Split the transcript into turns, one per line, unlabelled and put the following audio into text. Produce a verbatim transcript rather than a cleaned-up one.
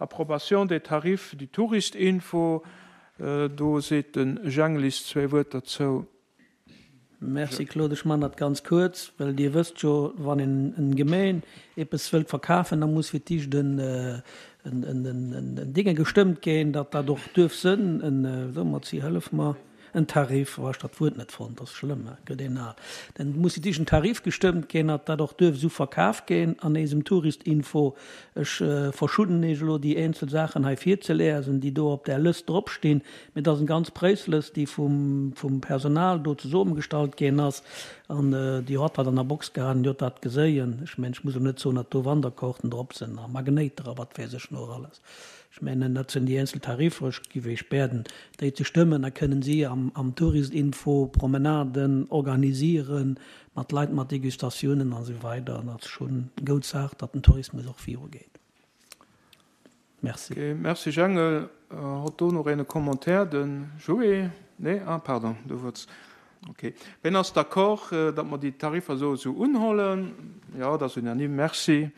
Approbation des tarifs du Tourist-Info. Do seet de Jenglis zwee Wuert derzou.
Merci Claude, ech man dat ganz kuerz, well Dir wësst jo, wann een en Gemeen eppes wëllt verkafen, da muss fir d'éischt en en Dinge gestëmmt ginn, datt dat och duerf sënn, en, so Mazi, hëllef mer, en Tarif, oh, ech dat Wuert net fonnt, dat ass schlëmm, hè, gëtt een al, dann muss fir d'éischt en Tarif gestëmmt ginn, datt dat och duerf esou verkaf ginn an eisem Tourist-Info. Ech verschudden Iech elo déi eenzel Saachen hei virzeliesen, déi do op där Lëst dropstinn, mee dat ass eng ganz Präislëst, déi vum, vum Personal do zesummegestallt ginn ass. An déi hott dat an der Box gehat an déi hott dat geséien. Ech mengen, ech muss elo net soen, datt do Wanderkaarten drop sinn a Magnéiter a wat weess ech nach alles. Ech mengen, dat sinn déi eenzel Tariffer. Ech giff Iech bäden, déi ze stëmmen. Da kënnen si am, am Tourist-Info Promenaden organisieren mat Leit, mat Degustatiounen an esou weider. An dat ass schonn eng goud Saach, datt den Tourismus och virugeet. Merci.
Ok, merci Jengel. Hott do nach een e Commentaire? De Joé? Nee? Ah, pardon, du wollts. Ok. Ween ass d'accord, datt mer déi Tariffer esou esou unhollen? Jo, dat ass unanime. Merci.